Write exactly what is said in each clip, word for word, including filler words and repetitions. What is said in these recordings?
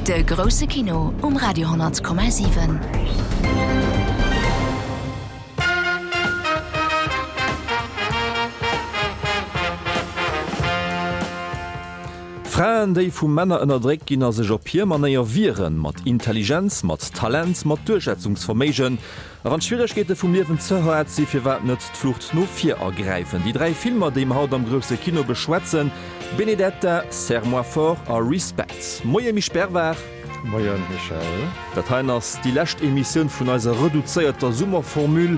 De grousse Kino um Radio honnert Komma siwen. Fraen, déi vu Männer ënnerdréckt ginn a sech op hir Manéier wieren, mat Intelligenz, mat Talent, mat Duerchsetzungsverméigen. A wann d'Schwieregkeete vum Liewen ze haart si, firwat net d'Flucht no vir ergräifen? Déi dräi Filmer, déi mer haut am grousse Kino beschwätzen, Benedetta, Serre-moi fort a Respect. Moie Misch Bervard. Moien Michel. Dat heien ass déi lescht Emissioun vun eiser reduzéierter Summerformule.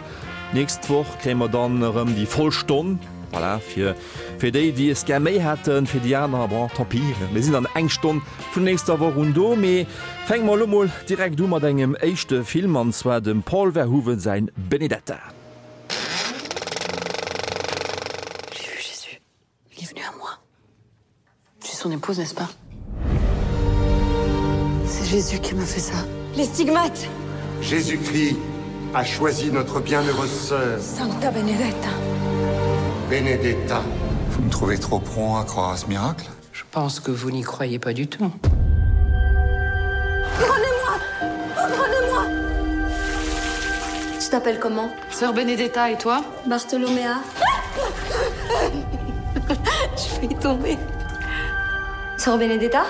D'nächst Woch kréie mer dann erëm déi voll Stonn. Voilà, fir, fir déi, déi es gär méi hätten, fir déi aner, bon, tant pis, mir sinn dann eng Stonn vun nächster Woch un do. Mee fänke mer elo mol direkt u mat engem éischte Film, an zwar dem Paul Verhoeven säin Benedetta. J'ai vu Jésus. Il est venu à moi. Je suis son épouse, n'est-ce pas? C'est Jésus qui m'a fait ça. Les stigmates! Jésus-Christ a choisi notre bienheureuse sœur. Sancta Benedetta. Benedetta. Vous me trouvez trop prompt à croire à ce miracle? Je pense que vous n'y croyez pas du tout. Prenez-moi! Prenez-moi! Tu t'appelles comment? Sœur Benedetta et toi? Bartholoméa. Je vais y tomber. Sœur Benedetta?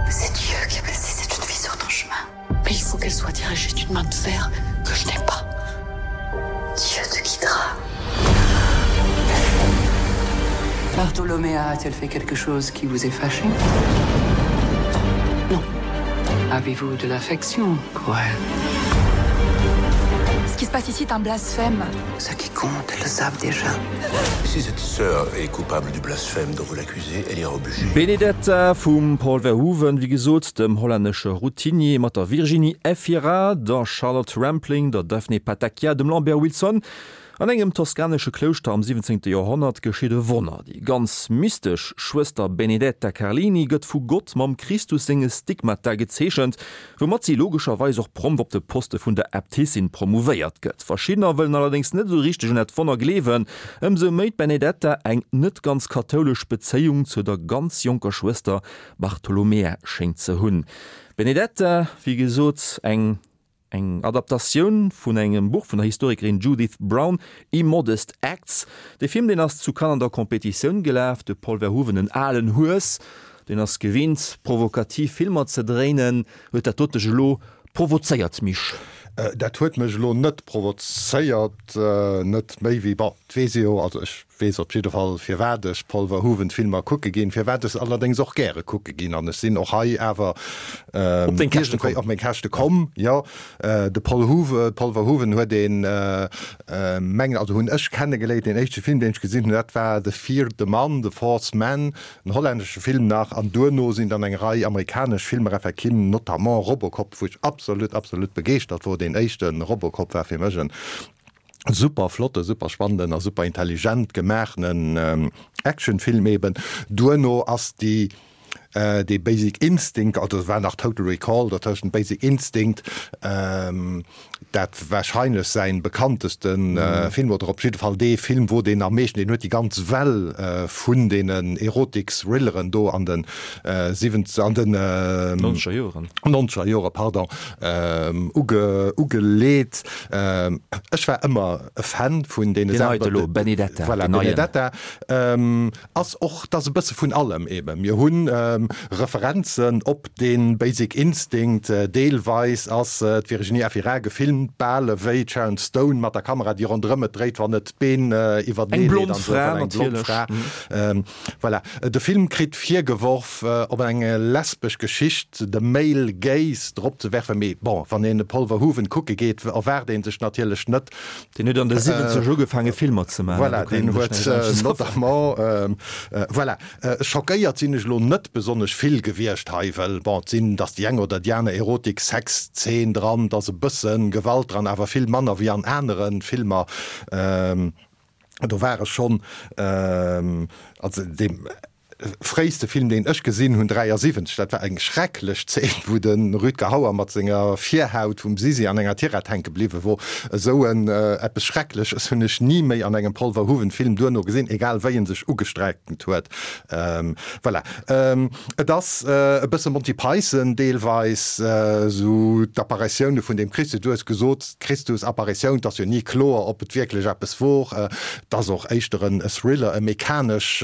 C'est Dieu qui a placé cette jeune fille sur ton chemin. Mais il faut qu'elle soit dirigée d'une main de fer que je n'ai pas. Dieu te guidera. Bartholoméa a-t-elle fait quelque chose qui vous ait fâché? Non. Avez-vous de l'affection pour elle? Ce qui se passe ici est un blasphème. Ce qui compte, le savent déjà. Si cette sœur est coupable du blasphème dont vous l'accusez, elle ira au bûcher. Benedetta vum Paul Verhoeven, wéi gesot, dem hollännesche Routinier, mat der Virginie Efira, der Charlotte Rampling, der Daphne Patakia, dem Lambert Wilson. An engem toskanesche Klouschter am siwwenzéngte Joerhonnert geschitt e Wonner, Déi ganz mystesch Schwëster Benedetta Carlini gëtt vu Gott mam Christus senge Stigmata gezeechent, woumat si logescherweis och prompt op de Poste vun der Äbtissin promouvéiert gëtt. Verschiddener wëllen allerdéngs net esou richteg un dat Wonner gleewen, ëmsou méi d'Benedetta eng net ganz kathoulesch Bezéiung zu der ganz jonker Schwëster Bartolomea schéngt ze hunn. Benedetta, wéi gesot, eng. Eng Adaptatioun vun engem Buch vun der Historikerin Judith Brown, Immodest Acts. De Film, deen ass zu Cannes an der Competitioun gelaf. De Paul Verhoeven, en alen Hues, deen ass gewinnt, provokativ Filmer ze dréinen. Huet dat dot dech elo provozéiert, Misch? Dat huet mech elo net provozéiert, net méi wéi, bon, et weess ee jo, also ech weess op jidde Fall, firwat ech Paul Verhoeven Filmer kucke ginn, firwat ech se allerdéngs och gäre kucke ginn. An ech sinn och hei awer Op deng Käschte komm. Op meng Käschte komm, jo. De Paul Hoeven, Paul Verhoeven huet een, mengen, also hunn ech kennegeléiert, deen éischte Film, deen ech gesinn hunn, dat war De vierde Mann, The Fourth Man, en hollännesche Film nach. An duerno sinn dann eng Rei amerikanesch Filmer effektiv, notamment Robocop, wou ech absolut, absolut begeeschtert wor. Deen éischte Robocop war fir mech en super flotte, super spannenden a super intelligent gemaachenen Actionfilm eben. Duerno ass déi dee Basic Instinct, also et war nach Total Recall dertëschent, Basic Instinct, dat wahrscheinlech säin bekannteste Film, oder op jidde Fall dee Film, wou deen am meeschten, deen huet déi ganz Well vun deenen Erotik-Thrilleren do an de siwwenzeg, an den Nonzeger Joren. Nonzeger Jore, pardon, uge, ugeleet. Ech war ëmmer e Fan vun deene Deen Saachen. heite lo, Benedetta, Voilà, den neien. Benedetta ass och, 't ass e bësse vun allem eben. Mir hunn Referenzen op dee Basic Instinct, deelweis ass d'Virginie Efira gefilmt, bal ewéi d'Sharon Stone mat der Kamera, déi ronderëm et dréit, wann et d'Been iwwertenee Eng leet blond an esou Fra, weider. Eng blond natierlech. Fra. Voilà. De Film kritt virgeworf, op eng lesbesch Geschicht, de Male Gaze, drop ze werfen, mee bon, wann een de Paul Verhoeven kucke geet, erwaart ee sech natierlech net, Deen huet an de siwwenzeger ugefaange Filmer ze maachen. Voilà, deen huet notamment, voilà. Schockéiert sinn ech elo net besonnesch vill gewiescht hei, well bon, et sinn, et ass déi eng oder déi aner Erotik-Sex-Zeen dran, et ass e bësse Gewalt dran, awer vill manner wéi an anere Filmer. Do war ech schonn, also deem. fréiste Film, deen ech gesinn hunn, dräiasiwwenzeg, dat war eng schrecklech Zeen, wou de Rutger Hauer mat senger Virhaut vum Sisi an enger Tirett hänke bliwwe wor. Esou en eppes Schreckleches hunn ech ni méi an engem Paul Verhoeven Film duerno gesinn, egal wéi en sech ugestrengt huet. Voilà. Et ass e bësse Monty Python deelweis, esou d'Apparitioune vun dem Christus. Du hues gesot, d'Christusapparition, 't ass jo ni kloer, ob et wierklech eppes wor. 't ass och éischter en Thriller, e mechanesch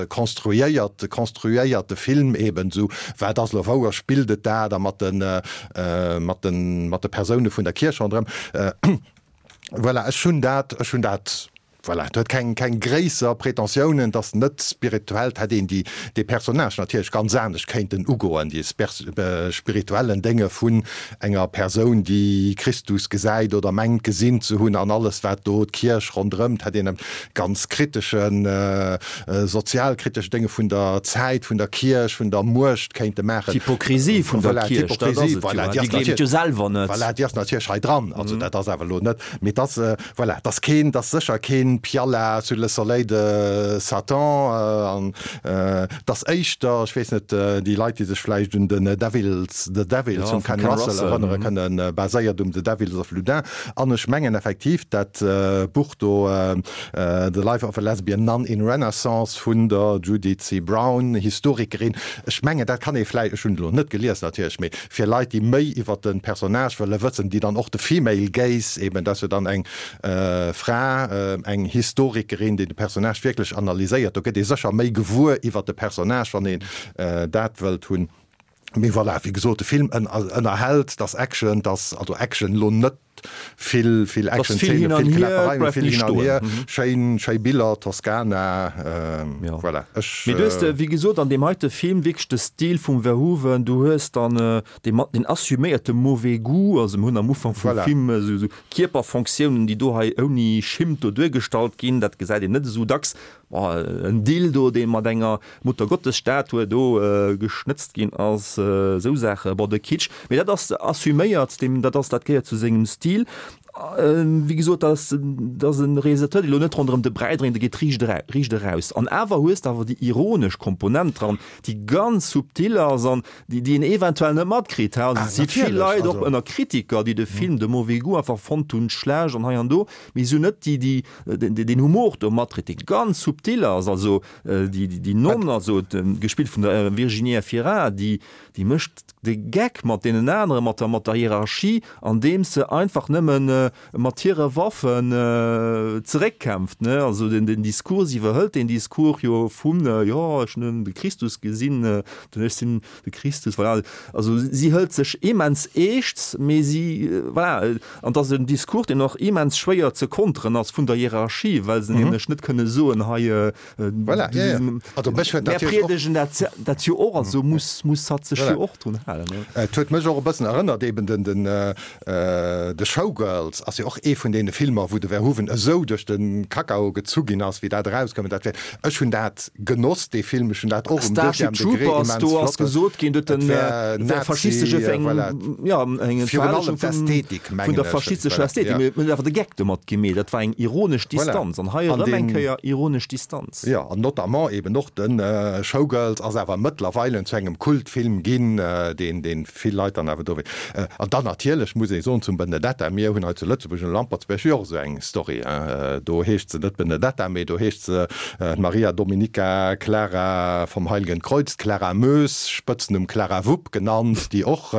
konstruéiert, konstruéierte Film eben, esou wat ass elo wouer, spillt et dat a mat de, mat de, mat de Persoune vun der Kierch ronderëm. Voilà, ech hunn dat, ech hunn dat, voilà, et huet keng, keng gréisser Pretentiounen, et ass net spirituell, et hätt een déi, dee Personnage natierlech ganz anescht kéinten ugoen, déi spirituellen Dénge vun enger Persoun, déi Christus gesäit oder mengt gesinn ze hunn an alles wat do d'Kierch ronderëm, et hätt een e ganz kriteschen, sozialkritesche Dénge vun der Zäit, vun der Kierch, vun der Muecht kéinte maachen. D'Hypokrisie vun der Kierch, dat ass et jo, déi gleeft et jo selwer net. Voilà, déi ass natierlech hei dran, also dat ass awer elo net, mee et ass, voilà, et ass keen, et ass sécher keen Pialat sous le soleil de Satan an et ass éischter, ech weess net, déi Leit, déi sech vläicht un den Devils, The Devils vum Ken Russell erënnere kënnen, baséiert um The Devils of Loudun. An ech mengen effektiv, dat Buch do, The Life of a Lesbian Nun in Renaissance vun der Judith C. Brown, Historikerin, ech mengen, dat kann ee vläicht, ech hunn et elo net gelies natierlech, mee fir Leit, déi méi iwwer de Personnage wëlle wëssen, déi dann och de Female Gaze, eben, dat ass jo dann eng Fra, eng Historikerin, déi de Personnage wierklech analyséiert, do gëtt ee sécher méi gewuer iwwer de Personnage, wann een dat wëllt hunn. Mee voilà, wéi gesot, de Film ënnerhält, 't ass Action, 't ass also Action elo net vill, vill Action-Zeenen, vill Kläpperei, mee vill hin an hier, schéin, schéi Biller, Toskana, voilà. Ech. Mee du hues, wéi gesot, an deem heite Film wierklech de Stil vum Verhoeven, du hues dann dee mat den assuméierte mauvais goût, also mir hunn am Ufank vum Film esou Kierperfonctiounen, déi do hei ouni Schimmt do duergestallt ginn, dat gesäit een net esou dacks. En Dildo, dee mat enger Muttergottesstatue do geschnëtzt ginn ass, esou Saachen. Bon, de Kitsch, mee dat ass assuméiert, deem, dat ass, dat gehéiert zu sengem Stil. Wéi gesot, dat ass, dat ass e Realisateur, dee lo net ronderëm de Bräi dréint, dee geet riicht era, riicht eraus. An awer hues de awer déi ironesch Komponent dran, déi ganz subtil ass an déi, déi een eventuell net matkritt. Also et si vill Leit, och ënner Kritiker, déi de Film de mauvais goût einfach fonnt hunn, schlecht an hei an do, mee si hunn net déi, déi, deen Humor do matkritt, dee ganz subtil ass. Also déi, déi Nonn, also gespillt vun der Virginie Efira, déi, déi mécht de Geck mat deenen aneren, mat der, mat der Hierarchie, andeems se einfach nëmmen mat hire Waffen zeréckkämpft, ne. Also den, den Discours, si iwwerhëlt deen Discours jo vun, jo, ech hunn de Christus gesinn, den, ech sinn de Christus, voilà. Also si hëlt sech immens eescht, mee si, voilà, an et ass en Discours, deen och immens schwéier ze konteren ass vun der Hierarchie, well se nämlech net kënne soen, hei, Voilà, ja, ja. Also mech huet mär natierlech och. priedegen dat, dat jo och, also muss, muss hatt sech Voilà. jo och drun halen, ne. Et huet mech och e bëssen erënnert, eben den, den The Showgirls ass jo och ee vun deene Filmer, wou de Verhoeven esou duerch de Kakao gezu ginn ass, wéi dat erauskoum. Dat wär, ech hunn dat genoss, dee Film, ech hunn dat och um Starship deuxième Degré Troopers, immens do ass flott. gesot ginn, do huet Et en wär wär Nazi, faschistesche eng, voilà. ja, eng Virun allem Verherrlechung vun, d'Ästhetik, vun mengen der ech. faschistescher Voilà, Ästhetik. ja. Mee huet awer de Geck domat gemeet. Dat war eng ironesch Voilà. Distanz. An hei An erëm eng deen. Kéier ironesch Distanz. Jo, an notamment eben och de Showgirls ass awer mëttlerweilen zu engem Kultfilm ginn, deen, deen vill Leit dann awer do. An dann natierlech muss ee soen zum Benedetta, mir hunn hei zu Lëtzebuerg um Lampertsbierg jo och esou eng Story, hein. Do heescht se net Benedetta, mee do heescht se Maria Dominica Clara vom Heiligen Kreuz, d'Clara Moes, Spëtznumm Clara Wupp genannt, déi och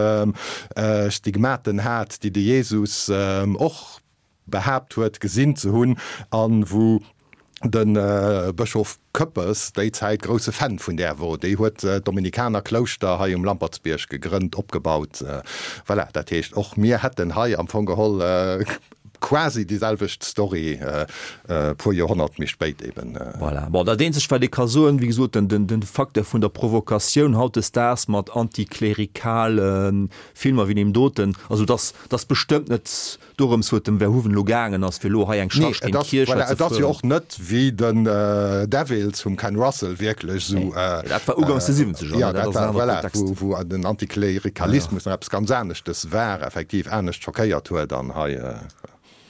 Stigmaten hat, déi de Jesus och behaapt huet gesinn ze hunn an wou de Bëschof Koeppes déi Zäit grousse Fan vun där wor. Déi huet d'Dominikanerklouschter hei um Lampertsbierg gegrënnt, opgebaut. Voilà, dat heescht och mir hätten hei am Fong geholl quasi déi selwecht Story, e puer Joerhonnert méi spéit eben. Voilà. Bon, dat eenzegt wat ee ka soen, wéi gesot, den, den Facteur vun der Provokatioun hautdesdaags mat antiklerikale Filmer wéi deem doten, also dass, dass bestëmmt net dorëms, wou et dem Verhoeven elo gaangen ass, fir elo hei eng Nee, Charge et géint ass, d'Kierch voilà, hei ze et ass jo fueren. och net wéi den Devils vum Ken Russell wierklech esou, Nee, dat war ugangs de Siwwenzeger, jo, ne, dat dat ass en war, anere voilà, Kontext. wou, wou den Antiklerikalismus nach eppes ganz aneschtes war, effektiv anescht schockéiert huet an hei.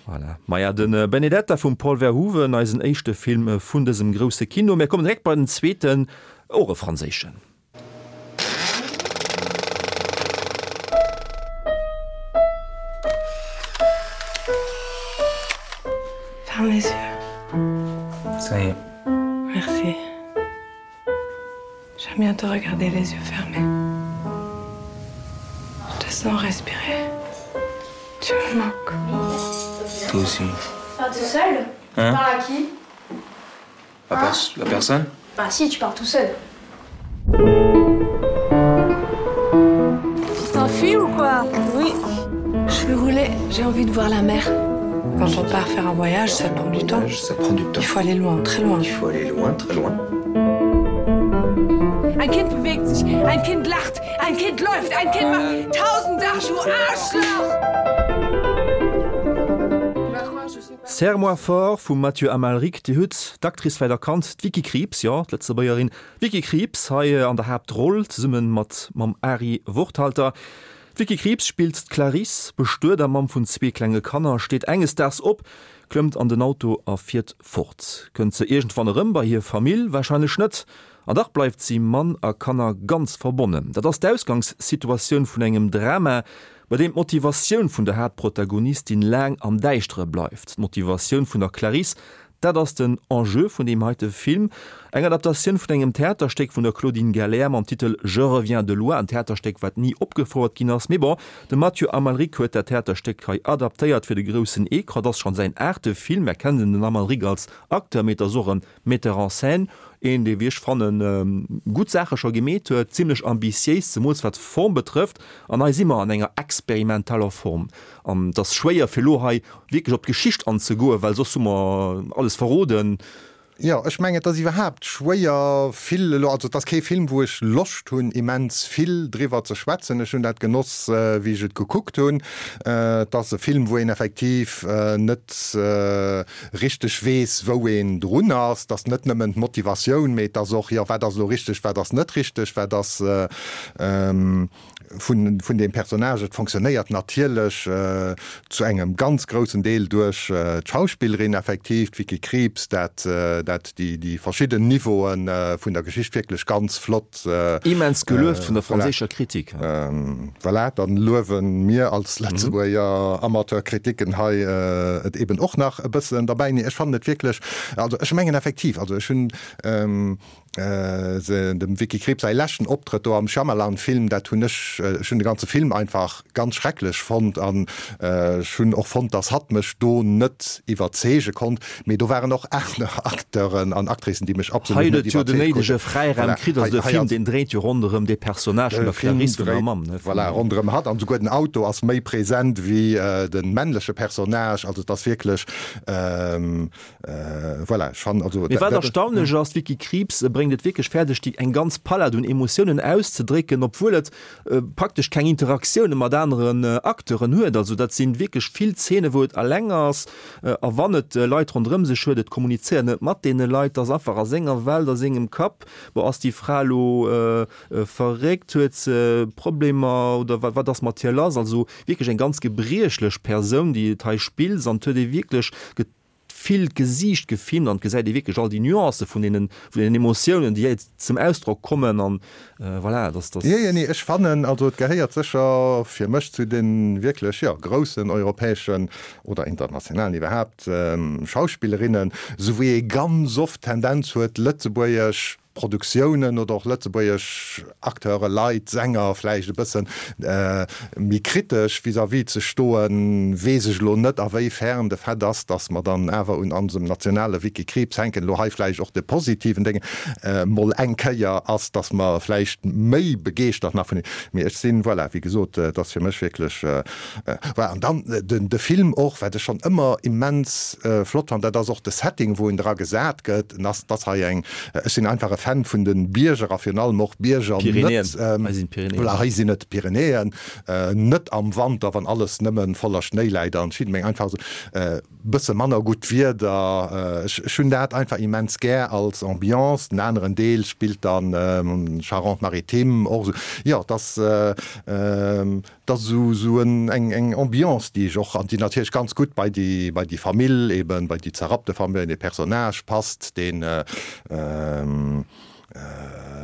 Voilà. Maja, de Benedetta vum Paul Verhoeven, eisen éischte Film vun dësem grousse Kino. Mir kommen direkt bei den zweeten, Och e franséischen. Ferme les yeux. Ça y est. Merci. J'aime bien te regarder les yeux fermés. Je te sens respirer. Tu me manques. Toi aussi. Pas tout seul Hein Tu parles à qui À, pers à personne Bah si, tu parles tout seul. Tu t'enfuis ou quoi Oui. Je vais rouler, j'ai envie de voir la mer. Quand on part faire un voyage, ça prend du temps. Ça prend du temps. Il faut aller loin, très loin. Il faut aller loin, très loin. Ein Kind bewegt sich, ein Kind lacht, ein Kind läuft, ein Kind macht tausend Sachen, du Arschloch! Serre-moi fort vum Mathieu Amalric. Dir hutt d'Actrice vläicht erkannt, d'Vicky Krieps, jo, d'Lëtzebuergerin Vicky Krieps hei an der Haaptroll, zesumme mat mam Ari Worthalter. D'Vicky Krieps spillt d'Clarice, bestuet a Mamm vun zwee klenge Kanner, steet enges Daags op, klëmmt an den Auto a fiert fort. Kënnt se iergendwann erëm bei hir Famill? Warscheinlech net. An dach bleift si Mann a Kanner ganz verbonnen. Dat ass d'Ausgangssituatioun vun engem Drama, bei deem d'Motivatioun vun der Haaptprotagonistin laang am Däischtere bleift. D'Motivatioun vun der Clarisse, dat ass den Enjeu vun deem heite Film. Eng Adaptatioun vun engem Theaterstéck vun der Claudine Galler mam Titel Je reviens de loin, en Theaterstéck, wat ni opgefouert ginn ass. Mee bon, de Mathieu Amalric huet dat Theaterstéck hei adaptéiert fir de groussen Ecran. Et ass schonn säin aachte Film. Mer kennen den Amalric als Acteur, mee et ass och e Metteur en scène. Een, dee wéi ech fannen, gutt Saache scho gemeet huet, zimlech ambitiéis, zemools wat d'Form betrëfft. An hei si mer an enger experimentaler Form. An et ass schwéier fir elo hei wierklech op d'Geschicht anzegoen, well soss hu mer alles verroden. Jo, ech mengen, et ass iwwerhaapt schwéier vill elo, also et ass kee Film, wou ech Loscht hunn immens vill driwwer ze schwätzen. Ech hunn dat genoss, wéi ech et gekuckt hunn. Et ass e Film, wou een effektiv net richteg weess, wou een drun ass. Et ass net nëmmen d'Motivatioun, mee et ass och, jo, wat ass elo richteg, wat ass net richteg, wat ass vun vun deem Personnage. Et fonctionnéiert natierlech zu engem ganz groussen Deel duerch d'Schauspillerin effektiv, d'Vicky Krieps, dat dat déi déi verschidden Niveaue vun der Geschicht wierklech ganz flott. Immens gelueft vun der franséischer Kritik. Voilà, dann luewe mir als Lëtzebuerger Amateurkritiken hei et eben och nach e bëssen derbäi. Nee, ech fannen et wierklech, also ech mengen effektiv, also ech hunn dem Vicky Krieps säi leschten Optrëtt do am Shyamalan-Film, dat hunn ech, ech hunn de ganze Film einfach ganz schrecklech fonnt an ech hunn och fonnt, dass hatt mech do net iwwerzeege konnt. Mee do waren och aner Acteuren an Actricen, déi mech absolut Hei net huet et jo den iwwerzeegt néidege kruten. Fräiraum Voilà, kritt, also hei, de hei Film, ass deen dréit jo ronderëm dee Personnage vun de der Film Clarisse, vun der dréit, Mamm, ne, vun voilà, der. ronderëm hatt an souguer den Auto ass méi present wéi de männleche Personnage. Also et ass wierklech, Voilà, ech fannen also Mee wat dat. erstaunlech ass, d'Vicky Krieps bréngt et wierklech fäerdeg, déi eng ganz Palett un Emotiounen auszedrécken, obwuel et praktesch keng Interaktioune mat aneren Acteuren huet. Also dat sinn wierklech vill Zeene wou et alleng ass, a wann et Leit ronderëm sech huet, et kommunizéiert net mat deene Leit, ass einfach a senger Welt, a sengem Kapp. Bon, ass déi Fra elo verréckt, huet se Problemer oder wat ass mat hir lass? Also wierklech eng ganz gebriechlech Persoun, déi et hei spillt an et huet ee wierklech vill d'Gesiicht gefilmt an et gesäit ee wierklech all déi Nuancë vun deenen, vun deenen Emotiounen, déi hei zum Ausdrock kommen an voilà, dass dass. Jo, jo, nee, ech fannen, also et gehéiert sécher fir mech zu de wierklech, jo, groussen europäeschen oder internationalen iwwerhaapt Schauspillerinnen, esou wéi ee ganz oft d'Tendenz huet, lëtzebuergesch Produktiounen oder och lëtzebuergesch Acteure, Leit, Sänger vläicht e bëssen méi kritesch vis-à-vis ze stoen, weess ech elo net, a wéi fern de Fait ass, datt mer dann awer un onsem nationale Vicky Krieps hänken, elo hei vläicht och de positiven Déngen mol eng Kéier ass, datt mer vläicht méi begeeschtert nach vun hir, mee ech sinn, voilà, wéi gesot, et ass fir mech wierklech, voilà. An dann de Film och, wat ech schonn ëmmer immens flott fannen, dat ass och de Setting, wou en dra gesat gëtt, en ass, 't ass hei eng, ech sinn einfach e Fan vun de Bierger a virun allem och Bierger Pyrenäen. net, ähm, Hei sinn d'Pyrenäen. voilà, hei sinn et d'Pyrenäen, äh, net am Wanter, wann alles nëmmen voller Schnéi läit an Schied, mee einfach esou äh, bësse manner gutt Wieder. Äh, ech, ech hunn dat einfach immens gär als Ambiance. Den aneren Deel spillt dann ähm, Charente-Maritime och esou. Jo, dass, äh, ähm, 't ass esou, esou en, eng, eng Ambiance, déi ech och, an déi natierlech ganz gutt bei déi, bei déi Famill eben, bei déi zerrappte Famill, dee Personnage passt, deen,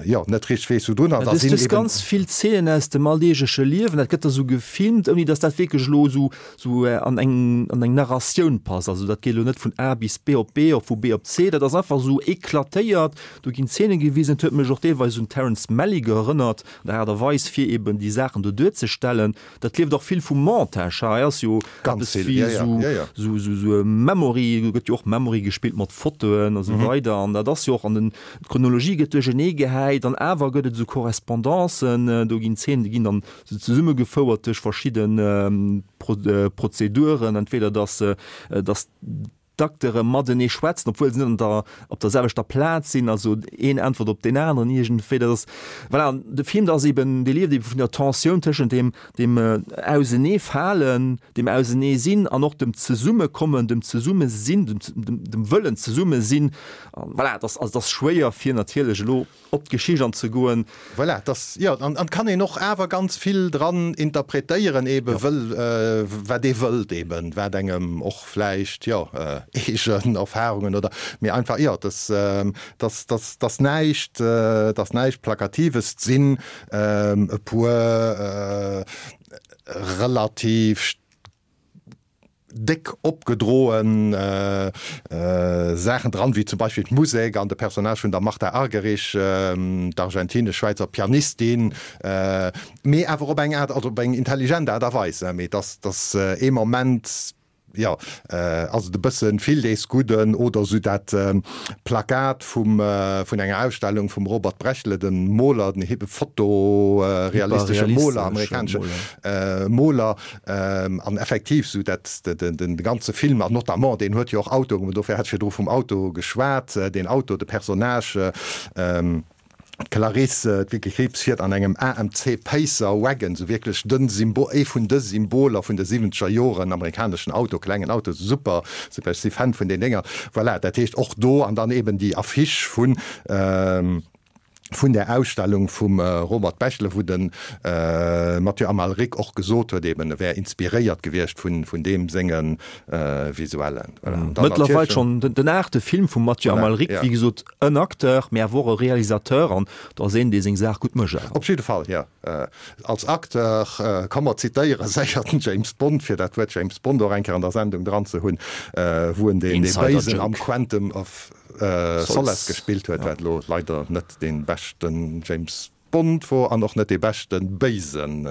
jo, net richteg weess, wou drun ass. Da sinn eben ganz vill Zeenen aus dem alldeegleche Liewen, dat gëtt da sou gefilmt, ouni datt dat wierklech elo sou, sou an eng, an eng Narratioun passt. Also dat geet elo net vun A bis B op B, op vu B op C, dat ass einfach sou eklatéiert, do ginn Zeene gewisen. Et huet mech och deelweis un Terrence Malick erënnert, an der Aart a Weis, fir eben déi Saachen do duerzestellen. Dat lieft och vill vum Montage. Hei ass jo Ganz eppes vill, wéi ja, ja, sou, ja, ja. sou, sou, sou e Memory, do gëtt jo och Memory gespillt mat Fotoen a sou weider an dat ass jo och an den, d'Chronologie gëtt duerchenee gehäit an awer gëtt et sou Correspondancen, do ginn Zeenen, déi ginn dann sou zesummegefouert duerch verschidde Pro, Prozeduren, entweder dass, dass d'Acteure matenee schwätzen, obwuel se net an der, op der selwechter Plaz sinn, also een äntwert op deen aneren iergendwéi. Dat ass, voilà, an de Film, dat ass eben, dee lieft eben vun der Tensioun tëschent deem, deem Auseneefalen, deem Auseneesinn an och dem Zesummekommen, dem Zesummesinn, dem, dem, dem Wëllen zesummesinn. An voilà, et ass, also et ass schwéier fir natierlech elo op d'Geschicht anzegoen. Voilà, et ass, jo, an, an kann een och awer ganz vill dran interpretéieren eben, wëll, wat ee wëllt eben, wat engem och vläicht, jo, eegen Erfahrungen oder, mee einfach, jo, dass, dass, dass, dass näischt, dass näischt Plakatives, et sinn e puer relativ déck opgedroen Saachen dran, wéi zum Beispill d'Musek an de Personnage vun der Martha Argerich, d'argentinesch-schwäizer Pianistin, mee awer op eng Aart, also op eng intelligent Aart a Weis, mee dass, dass ee Moment, jo, ass et e bësse vill dees Gudden, oder esou dat Plakat vum, vun enger Ausstellung vum Robert Brechle, dem Moler, den fotorealistesche Moler, amerikanesche Moler, an effektiv esou dat, de ganze Film, an notamment deen huet jo och Autoen, dofir hat ech virdru vum Auto geschwat, deen Auto, de Personnage, d'Clarice, d'Vicky Krieps fiert an engem A M C Pacer Wagon, esou wierklech de Symbol, ee vun de Symboler vun de siwwenzeger Joren, amerikaneschen Auto, klengen Auto, super, super, ech si Fan vun den Dénger, voilà, dat heescht och do, an dann eben déi Affiche vun, vun där Ausstellung vum Robert Bechtle, wou de Mathieu Amalric och gesot huet eben, e wär inspiréiert gewiescht vun, vun deem senge Visuellen. Voilà. An dann Mëttlerweil natierlech. schonn den aachte Film vum Mathieu Voilà, Amalric, ja. wéi gesot en Acteur, mee awer och e Realisateur, an do ass een, dee seng Saach gutt mécht awer. Op jidde Fall, jo. Als Acteur, komm mer zitéiere séier den James Bond, fir dat Wuert James Bond och eng Kéier an der Sendung dran ze hunn, wou en deen, dee Béisen am Insider-Joke. Quantum of Solace gespillt huet, wat elo leider net dee beschten James Bond wor an och net dee beschten Béisen,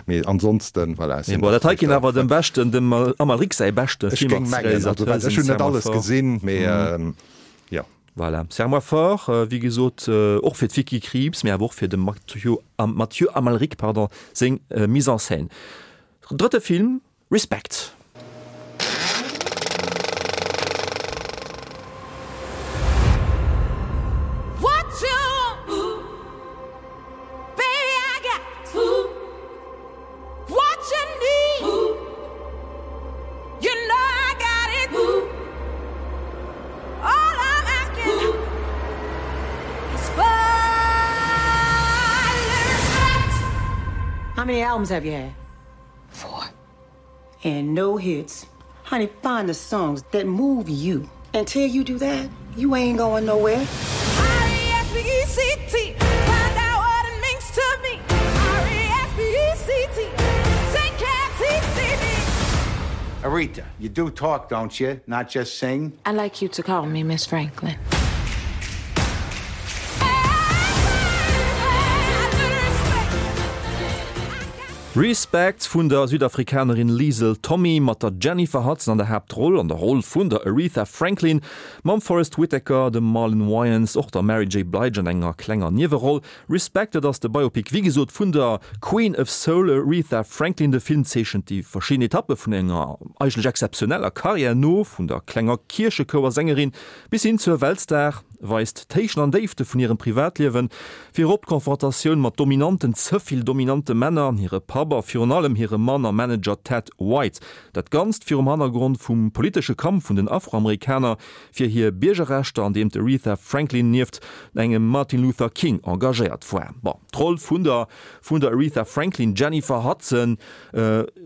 mee ansonsten, voilà, Mee bon, dat hei kéint awer dem beschten, dem Amalric säi beschte Ech Film géing als mengen, also Realisateur ech sinn, hunn net Serre-moi alles fort. gesinn, mee jo. Voilà, Serre-moi fort, wéi gesot, och fir d'Vicky Krieps, mee awer och fir dem Mathieu, Mathieu Amalric, pardon, seng Mise en scène. Drëtte Film, Respect. How many albums have you had? Four. And no hits. Honey, find the songs that move you. Until you do that, you ain't going nowhere. R E S P E C T. Find out what it means to me. R E S P E C T. Take care, T C D. Aretha, you do talk, don't you? Not just sing? I'd like you to call me Miss Franklin. Respect vun der Südafrikanerin Liesl Tommy mat der Jennifer Hudson an der Haaptroll, an der Roll vun der Aretha Franklin, mam Forest Whitaker, dem Marlon Wayans, och der Mary J. Blige an enger klenger Nieweroll. Respect, dat ass de Biopic wéi gesot vun der Queen of Soul Aretha Franklin. De Film zeechent déi verschidden Etappe vun enger eigentlech exzeptioneller Karriär no, vun der klenger Kierchechouersängerin bis hin zur Weltstar, weist d'Héichten an Déifte vun hirem Privatliewen, virop d'Konfrontatioun mat dominanten, ze vill dominante Männer, hire Papp Papp a virun allem hirem Mann a Manager Ted White. Dat Ganzt virum Hannergrond vum politesche Kampf vun den Afroamerikaner fir hir Biergerrechter, an deem d'Aretha Franklin nieft engem Martin Luther King engagéiert war. Bon, d'Roll vun der vun der Aretha Franklin, Jennifer Hudson,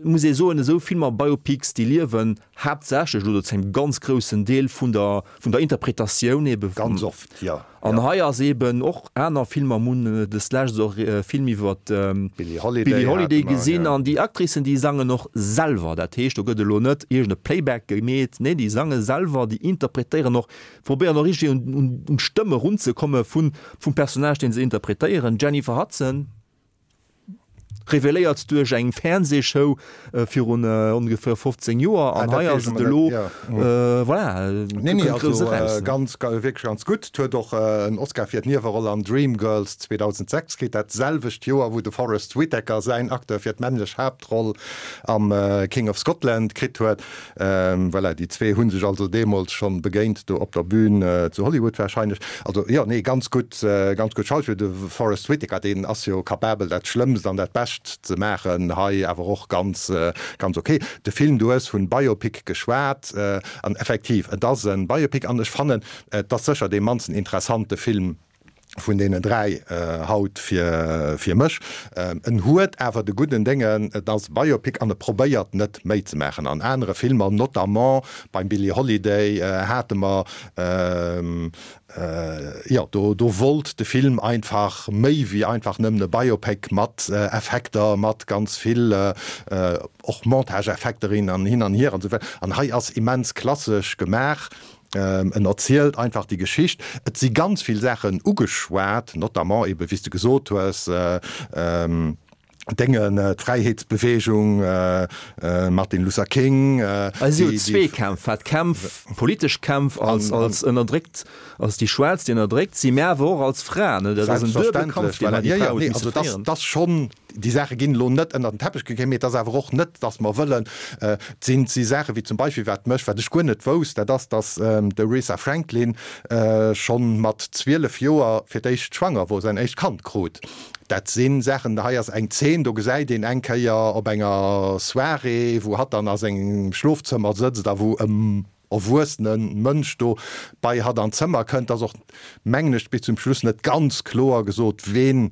muss ee soen, esou Filmer, Biopics, déi liewen haaptsächlech oder zu engem ganz groussen Deel vun der vun der Interpretatioun ebe vum. Ganz oft, jo. An hei ass eben och aner Filmer, mir hunn deslescht och e Film iwwer d'Billie Holiday, Billie Holiday gesinn, an déi Actricen, déi sangen och selwer. Dat heescht, do gëtt elo net iergend e Playback gemeet, nee, déi sange selwer, déi interpretéieren och, probéieren och richteg un un d'Stëmm erunzekomme vun vum Personnage, dee se interpretéieren. D'Jennifer Hudson. Reveléiert duerch eng Fernseeshow virun ongeféier fofzéng Joer, an hei ass et elo, voilà, Nee, nee, also ganz, wierklech ganz gutt. Huet och en Oscar fir d'Nieweroll an Dreamgirls zweedausendsechs kritt, dat selwecht Joer, wou de Forest Whitaker säin Acteur fir d'männlech Haaptroll am King of Scotland kritt huet. Voilà, déi zwee hu sech also deemools schonn begéint do op der Bühn zu Hollywood warscheinlech. Also jo, nee, ganz gutt, ganz gutt Schauspill. De Forest Whitaker, deen ass jo capabel dat Schlëmmst an dat Bescht ze maachen, hei awer och ganz, ganz ok. De Film, du hues vun Biopic geschwat, an effektiv, et ass e Biopic an ech fannen, et ass sécher dee mannsten interessante Film vun deenen dräi haut fir, fir mech. En huet awer de gudden Déngen, et ass e Biopic an e probéiert net méi ze maachen. An anere Filmer, notamment beim Billie Holiday, hate mer, Jo, do do wollt de Film einfach méi wéi einfach nëmmen e Biopic mat Effekter, mat ganz vill och Montageeffekter hin an hin an hier an esou weider. An hei ass immens klassesch gemaach. En erzielt einfach déi Geschicht. Et si ganz vill Saachen ugeschwat, notamment ebe wéi s de gesot hues, Déngen, d'Fräiheetsbewegung, Martin Luther King. Et si jo zwee Kämpf, wat Kämpf, politesch Kämpf als, als ënnerdréckt, als déi Schwaarz, déi ënnerdréckt sinn, mä awer och als Fraen. Dat ass en duebele Kampf, deen hei déi Fra huet misse féieren. Dat ass schonn, déi Saache ginn elo net ënnert den Teppech gekéiert, mee et ass awer och net, datt mer wëllen, et sinn, et si Saache wéi zum Beispill, wat mech, wat ech guer net wousst, dat ass, datt d'Aretha Franklin schonn mat zwielef Joer fir d'éischt schwanger wor, säin éischt Kand krut. Dat si Saachen, hei ass eng Zeen, do gesäit een eng Kéier op enger Soirée, wou hatt dann a sengem Schlofzëmmer sëtzt a wou e erwuessene Mënsch do bei hatt an d'Zëmmer kënnt. Et ass och, mengen ech, bis zum Schluss net ganz kloer gesot, ween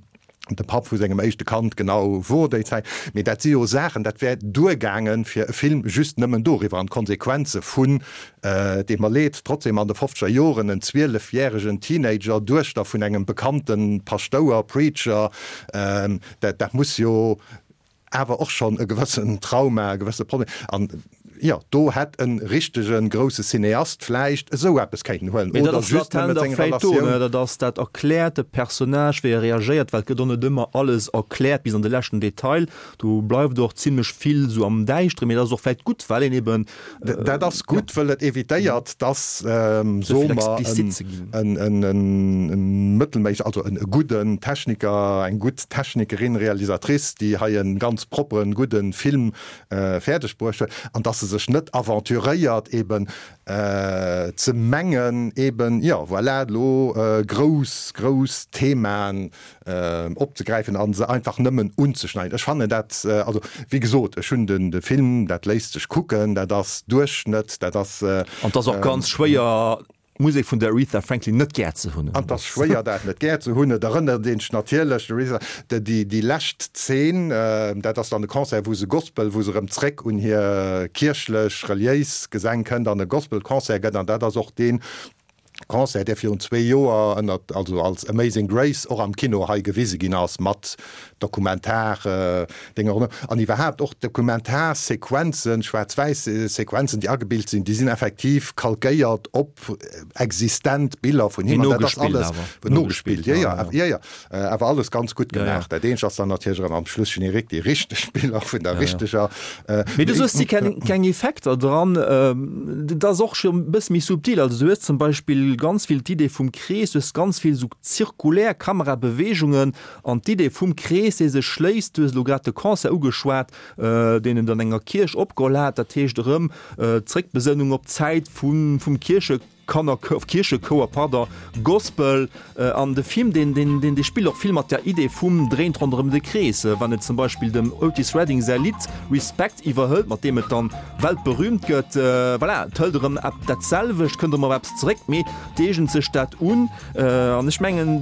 de Papp vu sengem éischte Kand genau wor déi Zäit. Mee dat si jo Saachen, dat wär duergaangen, fir e Film just nëmmen doriwwer an d'Konsequenze vun Et deet mer leed, trotzdem an de fofzeger Joren en zwielefjäregen Teenager, Duechter vun engem bekannte Paschtouer, Preacher, dat dat muss jo awer och schonn e gewëssen Trauma, e gewësse Problem. An jo, do hätt e richtege grousse Cineast vläicht esou eppes kéinten huelen Mee dat oder ass just latent nëmme a seng vläicht do, Relatioun. ne? Dat ass, dat erkläert de Personnage, wéi e reagéiert, well et gëtt och net ëmmer alles erkläert bis an de leschten Detail. Do bleift och zimlech vill esou am Däischteren, mee dat ass och vläicht gutt, well een eben Dat ass gutt, wëll et evitéiert, dass, soe mer, en mëttelméisseg, also e gudden Techniker, eng gutt Technikerin, Realisatrice, déi hei e ganz propperen, gudde Film fäerdeg bruecht huet, an dass se sech net aventuréiert, eben ze mengen, eben, jo, voilà, elo grouss, grouss Themaen opzegräifen a se einfach nëmmen unzeschneiden. Ech fannen dat, also wéi gesot, ech hunn den de Film, dat léisst sech kucken, dat ass Duerchschnëtt, dat ass. An et ass och ganz schwéier, d'Musek vun der Aretha Franklin net gär ze hunn. An et ass schwéier, dat net gär ze hunn. Et erënnert een sech natierlech, d'Aretha, déi déi lescht Zeen, dat ass dann de Concert, wou se Gospel, wou se erëm zréck un hir kierchlech, reliéis Gesäng kënnt an e Gospelconcert gëtt. An dat ass och deen Concert, dee virun zwee Joer ënnert, also als Amazing Grace och am Kino hei gewise ginn ass, mat Dokumentar-Dénger an iwwerhaapt och Dokumentarsequenzen, Schwaarz-Wäiss-Sequenzen, déi agebilt sinn, déi sinn effektiv kalkéiert op existent Biller vun him. An dat ass alles nogespillt, jo, jo, jo, jo, awer alles ganz gutt gemaach. Dat eenzegt ass dann natierlech erëm am Schluss Générique déi richteg Biller vun der richteger. Mee du soos, et si keng Effekter dran. Dat ass och scho e bësse méi subtil. Also du hues zum Beispill ganz vill d'Idee vum Krees, du hues ganz vill esou zirkulär Kamerabeweegungen an d'Idee vum Krees, dee sech schléisst. Du hues elo grad de Concert ugeschwat, deen en an enger Kierch opgeholl hat. Dat heescht erëm d'Zréckbesënnung op d'Zäit vum Kierche. Kannerchouer, Kierchechouer, pardon, Gospel, an de Film, deen, deen, deen, dee spillt och vill mat der Idee vum dréint ronderëm de Krees, wann et zum Beispill dem Otis Redding säi Lidd Respect iwwerhëlt, mat deem et dann weltberüümt gëtt. Voilà, et hëlt erëm ep dat selwecht, kënnt erëm op eppes zeréck, mee et eegent sech dat un. An ech mengen,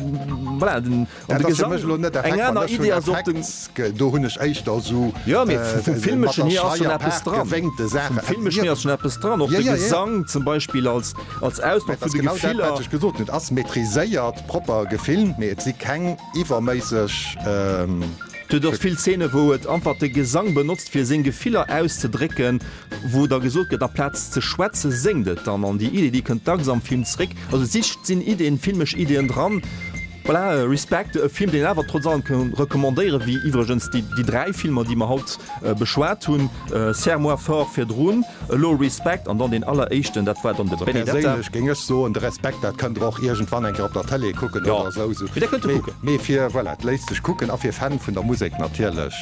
voilà, den, an Dat de ass fir Gesang, mech elo net eng Effekt, wann aner ech Idee hunn ass och den. Effekt, do hunn ech éischter esou Jo, mee vum mat Filmeschen der hier ass schonn Schreier eppes Paart dran. gewéngte Vum Saachen. Filmeschen hier ass schonn eppes dran, och Ja, de ja, ja. Gesang zum Beispill als, als Mä Ausdrock et vun ass de genau dat, Gefiller. wat ech gesot hunn. Et ass maîtriséiert, propper gefilmt, mee et si keng iwwerméisseg. Et huet och vill Zeene wou et einfach de Gesang benotzt fir seng Gefiller auszedrécken, wou da gesot gëtt, amplaz ze schwätze séngt et dann. An déi Idee déi kënnt dacks am Film zréck. Also et si sinn Ideen, filmesch Ideen dran. Voilà, Respect, e Film deen een awer trotz allem kann recommandéieren, wéi iwwregens déi déi dräi Filmer déi mer haut beschwat hunn, Serre-moi fort virdrun, elo Respect an dann deen alleréischten, dat war dann de Also Benedetta. perséinlech géing ech soen, de Respect, dat kënnt der och iergendwann eng Kéier op der Tëlee kucken Jo, oder esou. mee dat kënnt der kucken. Mee fir, voilà, et léisst sech kucken a fir Fan vun der Musek natierlech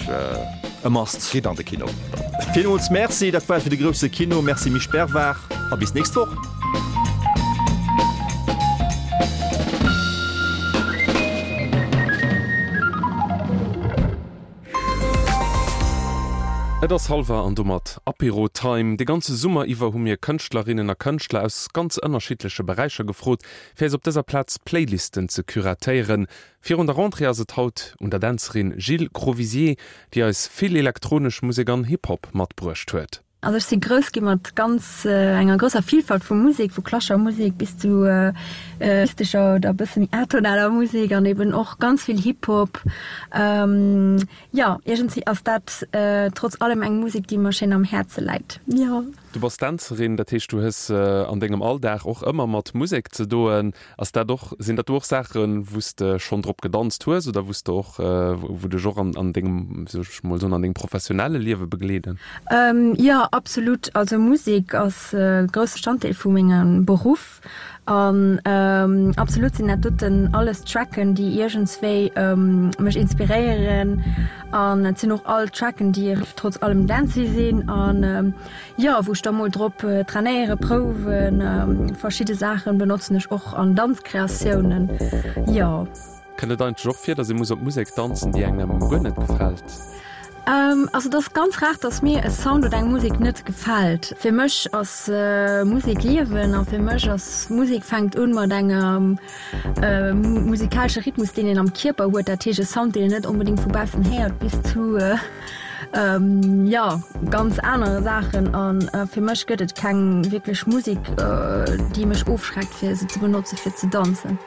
e Must. Gitt an de Kino. Villmools Merci, dat war et fir de grousse Kino. Merci Misch Bervard a bis nächst Woch. Et ass hallwer an domat Apéro Time. De ganze Summer iwwer hu mir Kënschtlerinnen a Kënschtler aus ganz ënnerschiddleche Beräicher gefrot, fir eis op dëser Plaz Playlisten ze curatéieren. Virun der Rentrée ass et haut un der Dänzerin Jill Crovisier, déi eis vill elektronesch Musek an Hip-Hop matbruecht huet. Also ech si grouss gi mat ganz enger grousser Vielfalt vu Musek, vu klassescher Musek bis zu mystescher oder e bësse méi atonaler Musek an eben och ganz vill Hip-Hop. Jo, iergendwéi ass dat trotz allem eng Musek, déi mer schéin am Häerze läit, jo. Du bass Dänzerin, dat heescht du hues an dengem Alldag och ëmmer mat Musek ze doen. Ass dat och, sinn dat do och Saachen, wou s de schonn drop gedanzt hues oder wou s de och, wou dech och an an dengem, wéi soll ech mol soen, an dengem professionelle Liewe begleeden? Jo, absolut. Also Musek ass e grousse Bestanddeel vu mengem Beruff an absolut sinn dat doten alles Tracken, déi iergendswéi mech inspiréieren an et sinn och all Tracken, déi trotz allem dancy sinn an jo, wou ech da mol drop trainéieren, prouwen. Verschidde Saachen benotzen ech och an Danzkreatiounen, jo. Kënnt et eigentlech och vir, datt ee muss op Musek danzen, déi engem guer net gefält? Also et ass ganz rar, dass mir e Sound oder eng Musek net gefält. Fir mech ass Musek Liewen a fir mech ass Musek fänkt un mat engem musikalesche Rhythmus, deen een am Kierper huet, dat heescht e Sound, deen een net onbedéngt vu baussen héiert, bis zu jo ganz anere Saachen. A fir mech gëtt et keng wierklech Musek, déi mech ofschreckt fir se ze benotze fir ze danzen.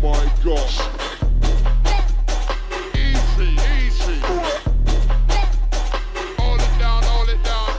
my gosh. Easy, easy. Hold it down, hold it down.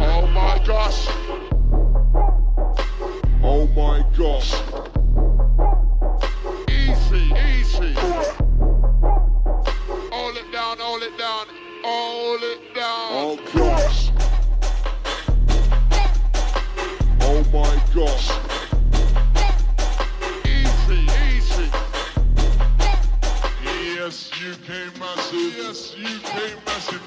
Oh my gosh. Oh my gosh. Easy, easy. Hold it down, hold it down, hold it down. Oh gosh. Oh my gosh. Easy, easy. Yes, U K massive. Yes, U K massive.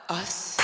Us.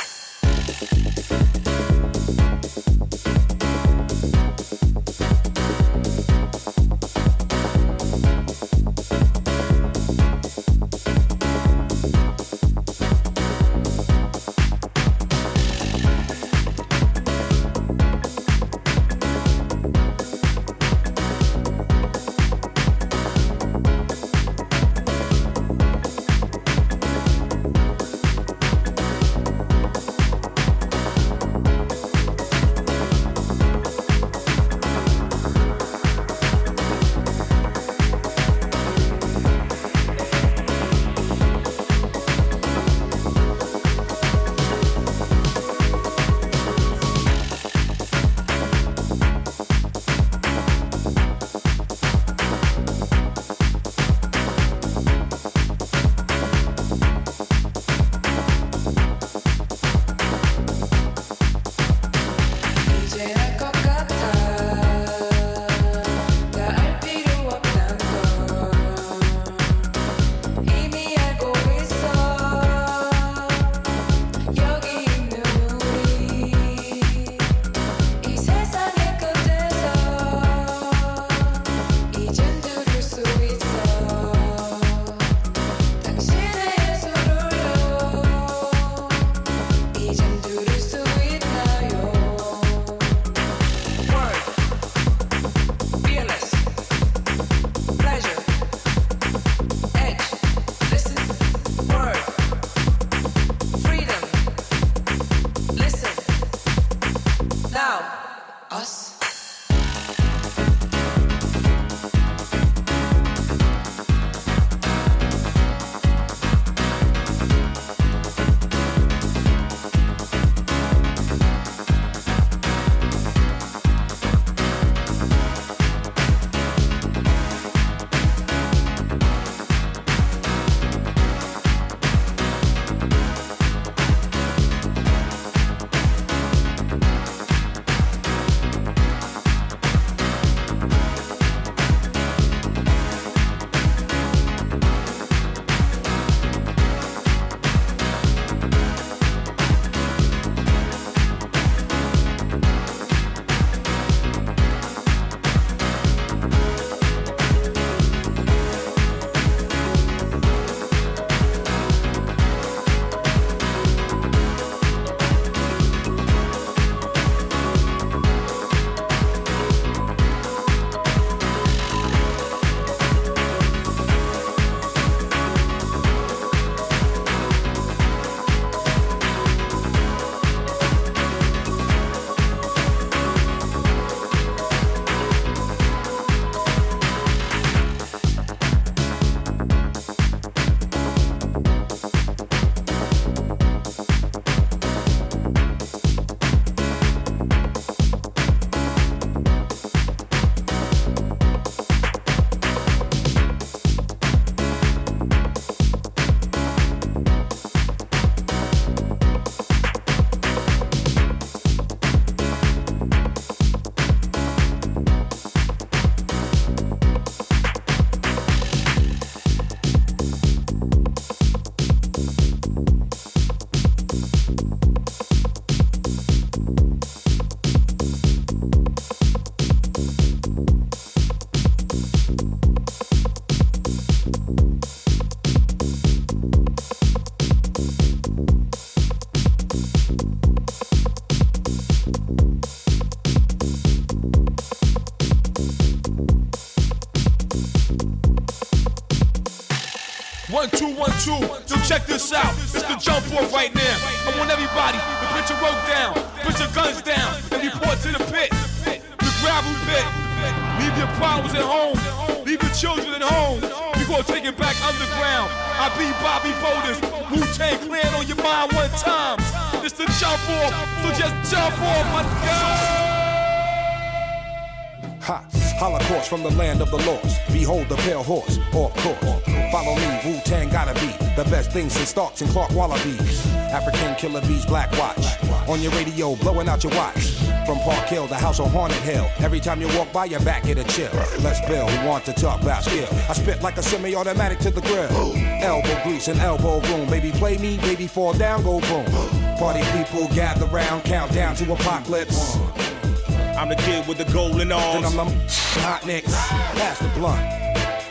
One, two, one, two. Yo, check this out. It's the jump off right now. I want everybody to put your rope down, put your guns down, and report to the pit. The gravel pit. Leave your problems at home. Leave your children at home. We gonna take it back underground. I be Bobby Boulders. Wu-Tang Clan on your mind one time. It's the jump off, so just jump off, my God. Ha! Holocaust from the land of the lost. Behold the pale horse, off course. Follow me, Wu Tang gotta be the best thing since Starks and Clark Wallabies. African killer bees, Black Watch. On your radio, blowing out your watch. From Park Hill, the house on Haunted Hill. Every time you walk by, your back get a chill. Les Bill, who want to talk about skill. I spit like a semi-automatic to the grill. Elbow grease and elbow room. Baby, play me, baby, fall down, go boom. Party people gather round, count down to apocalypse. I'm the kid with the golden arms. Then I'm the hot nicks. Pass the blunt.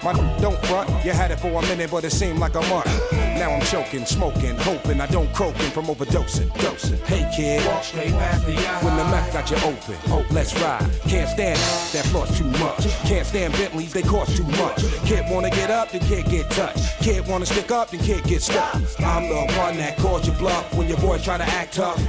My don't front, you had it for a minute, but it seemed like a month. Now I'm choking, smoking, hoping I don't croaking from overdosing. Dosing. Hey kid, walk straight past the eye. When the meth got you open, oh, let's ride. Can't stand it, that floor's too much. Can't stand Bentleys, they cost too much. Kid wanna get up, then kid get touched. Kid wanna stick up, then kid get stuck. I'm the one that calls your bluff when your boys try to act tough.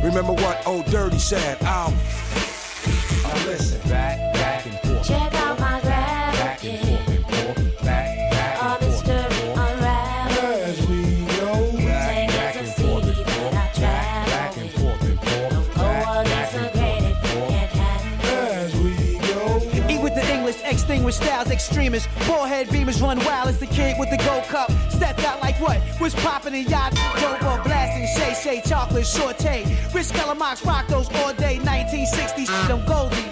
Remember what old Dirty said? I'll now listen. Back, back and forth. Check out my Back gravity. and forth and forth. Back, back All and this forth and story forth. unravel. As we go Back, Ten back years and of forth city and that I forth. Back, back travel and with. forth and forth. Go Back, against back the and grain forth if and you forth. can't handle. As we go. Eat with the English, extinguish styles, extremists. Forehead beamers run wild as the kid with the gold cup. Stepped out like what? Was popping in yacht? Dope or blasting, shay shay, chocolate, saute. Rich Calamox rock those all day. nineteen sixties, them Goldie.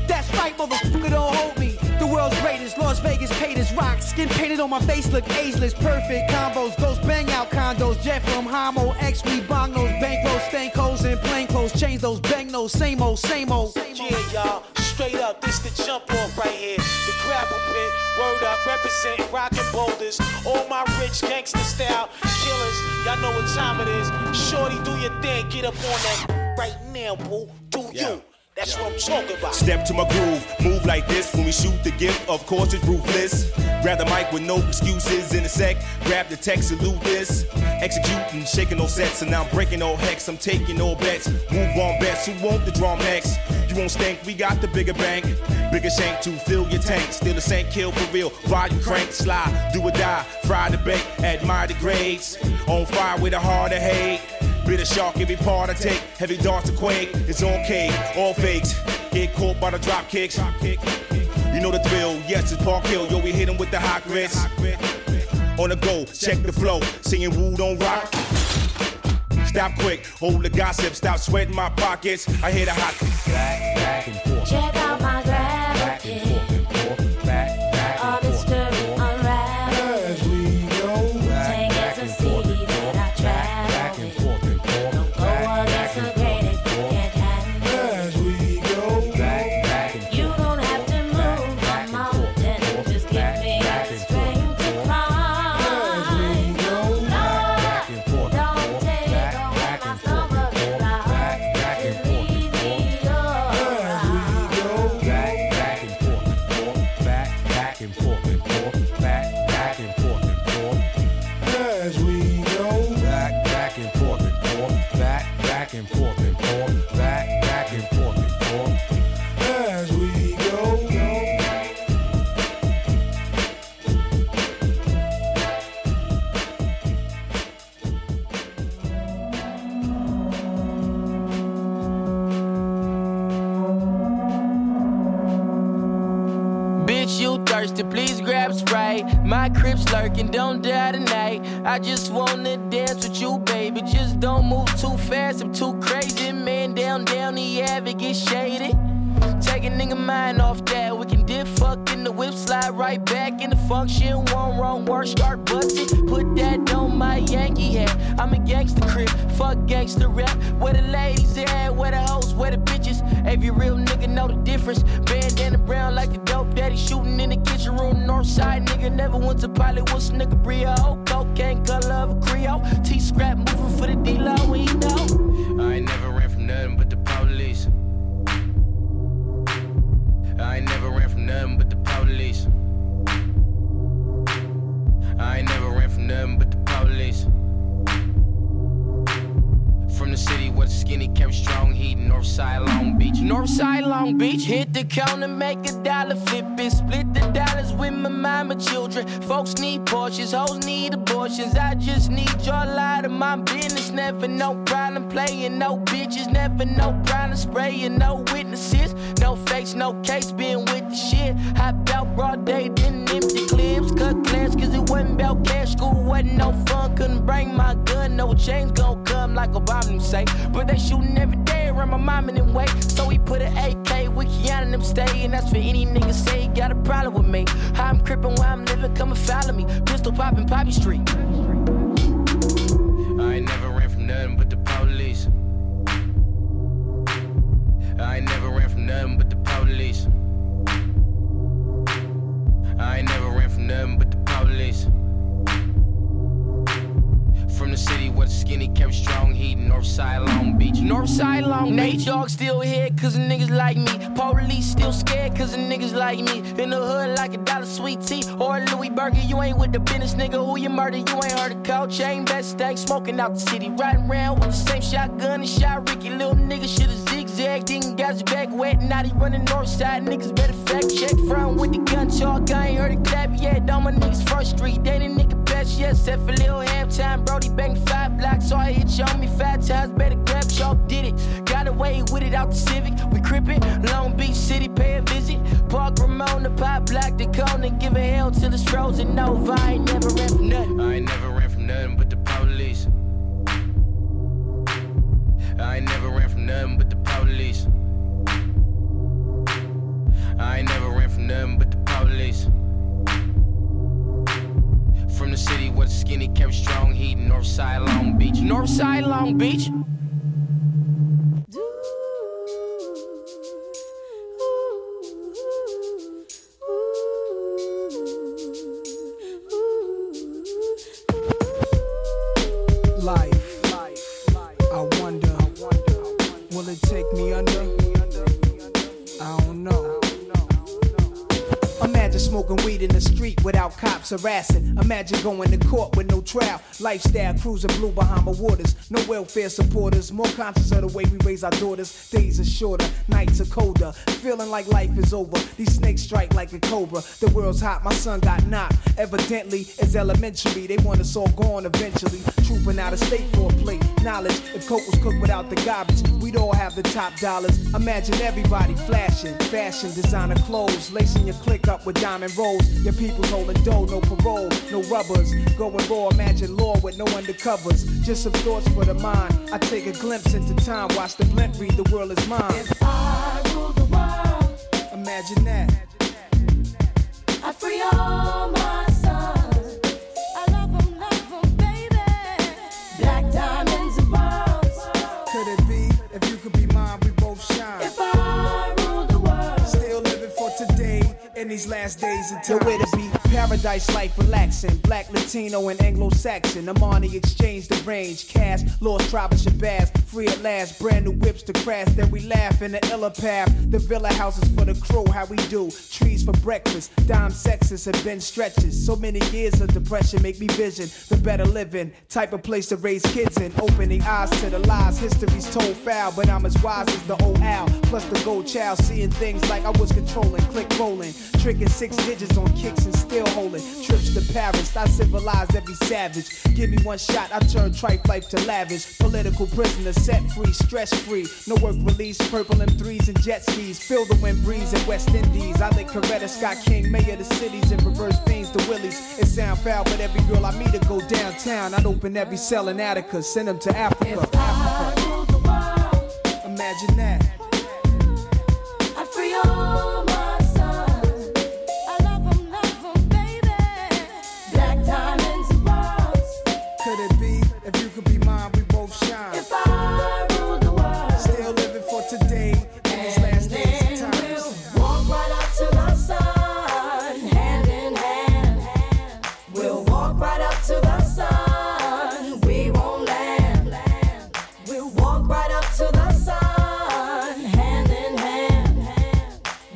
That's right, motherfucker, don't hold me. The world's greatest, Las Vegas paid as rock. Skin painted on my face, look ageless. Perfect combos, ghost bang out condos. Jet from Homo, X, we bong those bankrolls, stank hoes, and plain clothes. Change those, bang those, same old, same old. Yeah, y'all, straight up, this the jump off right here. The gravel pit, word up, representing rockin' boulders. All my rich gangster style killers, y'all know what time it is. Shorty, do your thing, get up on that right now, boo. Do you? That's what I'm talking about. Step to my groove, move like this when we shoot the gift. Of course, it's ruthless. Grab the mic with no excuses in a sec. Grab the text, salute this. Executing, shaking no sets, and I'm breaking all hex. I'm taking all bets. Move on bets. Who want the drum next? You won't stink. We got the bigger bank, bigger shank to fill your tank. Still the same kill for real. Volume crank, slide, do or die. Fry the bake, admire the grades. On fire with a heart of hate. Bitter shark, every part I take. Heavy darts to quake. It's on cake, all fakes. Get caught by the drop kicks. You know the drill, yes, it's Park Hill. Yo, we hit 'em with the hot grits. On the go, check the flow. Singing woo, don't rock. Stop quick, hold the gossip. Stop sweating my pockets. I hear the hot. Back, back and forth. Check out my Back gravity. and forth and forth. Back, back All and this forth and story forth. unravel. As we go. Back, Ten back years of and forth city and forth. that I Back, back travel and with. forth and forth. Go Back, against back the and grain forth if and you forth. can't handle. As we go. Back, back and You forth don't and have forth. to Back, move a back and forth and mountain. forth. Just give Back, me back the and forth and strength to forth. As we climb. go. Back, back and forth and Don't forth. take Back, away back my and forth and stumbling forth. blocks. Back, back and Just forth and leave forth. me As we go. Back, back and forth and forth. Back, back and forth and forth. Back, back and forth and forth. As we go. Back, back and forth and forth. Back, back and forth and forth. Back, back and forth and forth. As we go. Bitch, you thirsty, please grab Sprite. My crib's lurking, don't die tonight. I just wanna dance with you, baby. Just don't move too fast, I'm too crazy. Man, down, down the ave, it get shaded. Take a nigga mind off that. We can dip fuck in the whip, slide right back in the function. One wrong word, start busting. Put that on my Yankee hat. I'm a gangster crip, fuck gangster rap. Where the ladies at, where the hoes, where the bitches. Every real nigga know the difference. Bandana brown like the dope daddy shooting in the kitchen room. Northside nigga never went to pilot. What's nigga Brio? Cocaine color of a Creole. T scrap moving for the D-Lo, we know. I ain't never ran from nothing but the police. I ain't never ran from nothing but the police. I ain't never ran from nothing but the police. From the city where the skinny carry strong heat, Northside Long Beach. Northside Long Beach, hit the counter, make a dollar, flip it, split the dollars with my mama children. Folks need Porsches, hoes need abortions. I just need y'all out of my business. Never no problem playing, no bitches, never no problem spraying, no witnesses, no fakes, no case, being with the shit. Hop out broad day, then empty clips, cut class, cause it wasn't about cash. School wasn't no fun, couldn't bring my gun, no change gon' come like Obama them say. But they shooting every day around around my mom and them way. So he put an A K with Kiana and them stay. And that's for any nigga say he got a problem with me. How I'm crippin' where I'm living, come and follow me. Pistol poppin' Poppy Street. I ain't never ran from nothing but the police. I ain't never ran from nothing but the police. I ain't never ran from nothing but the police. From the city where the skinny carry strong heat, Northside Long Beach. Northside Long Beach. Nate Dogg still here cause the niggas like me. Police still scared cause the niggas like me. In the hood like a dollar sweet tea or a Louis Burger. You ain't with the business, nigga. Who you murder? You ain't heard of cold chain. Best stank smoking out the city. Riding round with the same shotgun and shot Ricky. Little nigga shoulda zigzagged. Didn't got his back wet. Now he running Northside. Niggas better fact check. Front with the gun talk. I ain't heard a clap yet. All my niggas front street. They ain't a nigga best yet. Except for Lil halftime. Brody banged five blocks. So I hit you on me five times. Better grab chalk. Did it. Got away with it out the Civic. We crippin'. Long Beach City, pay a visit. Park Ramon, the pop block, the cone, and give a hell till it's frozen over. I ain't never ran from nothing. I ain't never ran from nothing but the police. I ain't never ran from nothing but the police. I ain't never ran from nothing but the police. From the city where the skinny carry strong heat, Northside Long Beach. Northside Long Beach. Life, I wonder, will it take me under? I don't know. Imagine smoking weed in the street without cops harassing. Imagine going to court with no trial. Lifestyle cruising blue behind my waters. No welfare supporters. More conscious of the way we raise our daughters. Days are shorter, nights are colder. Feeling like life is over. These snakes strike like a cobra. The world's hot, my son got knocked. Evidently, it's elementary. They want us all gone eventually. Trooping out of state for a plate. Knowledge, if coke was cooked without the garbage, we'd all have the top dollars. Imagine everybody flashing, fashion, designer clothes, lacing your click up with diamond rolls. Your people's holding dough, no parole, no rubbers. Going raw, imagine law with no undercovers. Just some thoughts for the mind. I take a glimpse into time, watch the blimp read, the world is mine. If I ruled the world, imagine that. I free all my sons. I love 'em, love 'em, baby. Black diamonds and pearls. Could it be? If you could be mine, we both shine. If I ruled the world, still living for today in these last days and times. Where to be? Paradise life relaxing. Black, Latino, and Anglo-Saxon. Armani exchange the range. Cash, lost tribe of Shabazz. Free at last. Brand new whips to crash. Then we laugh in the illa path. The villa houses for the crew. How we do? Trees for breakfast. Dime sexes have been stretches. So many years of depression make me vision the better living. Type of place to raise kids in. Opening eyes to the lies. History's told foul, but I'm as wise as the old owl. Plus the gold child. Seeing things like I was controlling. Click rolling. Tricking six digits on kicks and still holding. Trips to Paris, I civilized every savage. Give me one shot, I turn tripe life to lavish. Political prisoner, set free, stress free. No work release, purple M threes and jet skis. Feel the wind breeze in West Indies. I lick Coretta Scott King, mayor of the cities, and reverse fiends to Willies. It sound foul, but every girl I meet to go downtown. I'd open every cell in Attica, send them to Africa. If I ruled the world, imagine that. I'd free all my sons. I love 'em, love 'em, baby. Black diamonds and pearls. Could it be? If you could be mine, we both shine. If I ruled the world, still living for today in these last days and then times. we'll walk right up to the sun, hand in hand. We'll walk right up to the sun. We won't land. We'll walk right up to the sun, hand in hand.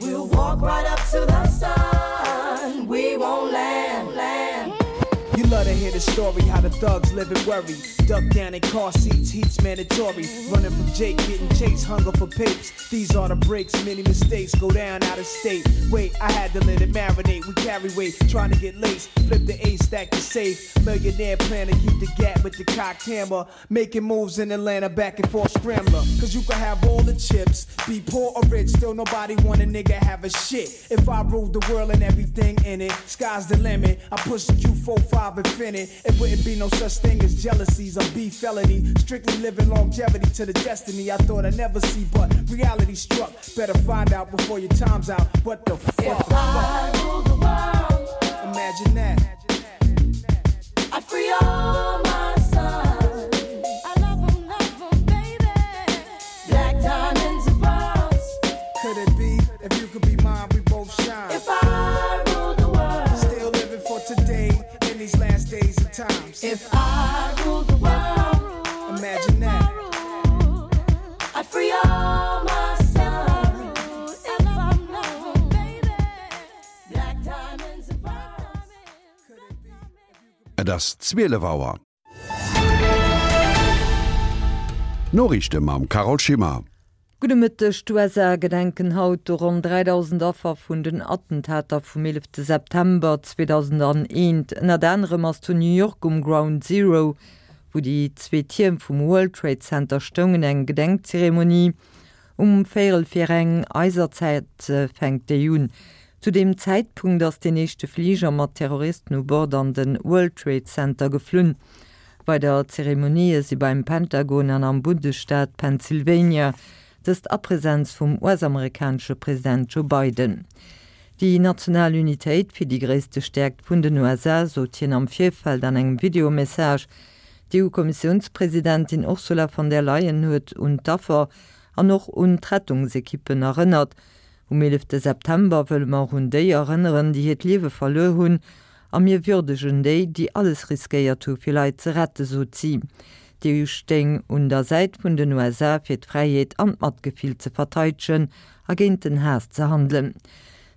We'll walk right up to the sun. We won't land. Land. You love to hear the story how the thugs live and worry. Duck down in car seats, heat's mandatory. Running from Jake, getting chased, hunger for papes. These are the breaks, many mistakes go down out of state. Wait, I had to let it marinate. We carry weight, trying to get laced. Flip the ace, stack the safe. Millionaire plan to keep the gap with the cocked hammer. Making moves in Atlanta, back and forth scrambler. Cause you can have all the chips, be poor or rich, still nobody want a nigga have a shit. If I ruled the world and everything in it, sky's the limit. I push the Q four five and infinite, it wouldn't be no such thing as jealousies or beef felony. Strictly living longevity to the destiny I thought I'd never see, but reality struck. Better find out before your time's out. What the fuck? If I ruled the world, imagine that. I'd free all my sons. I love 'em, love 'em, baby. Black diamonds and pearls. Could it be if you could be mine, we both shine? If I ruled the world, still living for today in these last days and times. If I ruled the world, imagine that. I'd free all my sons. I love 'em, love 'em, baby. Black diamonds and pearls. Et ass zwielef Auer. D'Noriichte mam Carole Schimmer. Gudde Mëtteg, D'USA gedenken haut de ronn dräidausend Affer vun den Attentater vum eelefte September zweedausendaneent. Ënnert anerem ass zu New York um Ground Zero, wou déi zwee Tierm vum World Trade Center stoungen, eng Gedenkzeremonie. Um véierel vir eng eiser Zäit fänkt déi un. Zu deem Zäitpunkt ass deen éischte Fliger mat Terroristen u Bord an de World Trade Center geflunn. Weider Zeremonië si beim Pentagon an am Bundesstaat Pennsylvania, dëst a Presenz vum US-amerikanesche President Joe Biden. Déi national Unitéit wier déi gréisste Stäerkt vun den U S A, sot hien am Virfeld an engem Videomessage. D'EU-Kommissiounspresidentin Ursula von der Leyen huet un d'Affer an och un d'Rettungsekippen erënnert. Um eelefte September wëlle mer un déi erënneren, déi hiert Liewe verluer hunn, a mir würdegen déi, déi alles riskéiert hu fir Leit ze rette, sot si. D'EU stéing un der Säit vun den U S A fir d'Fräiheet an d'Matgefill ze verteidegen a géint den Haass ze handelen.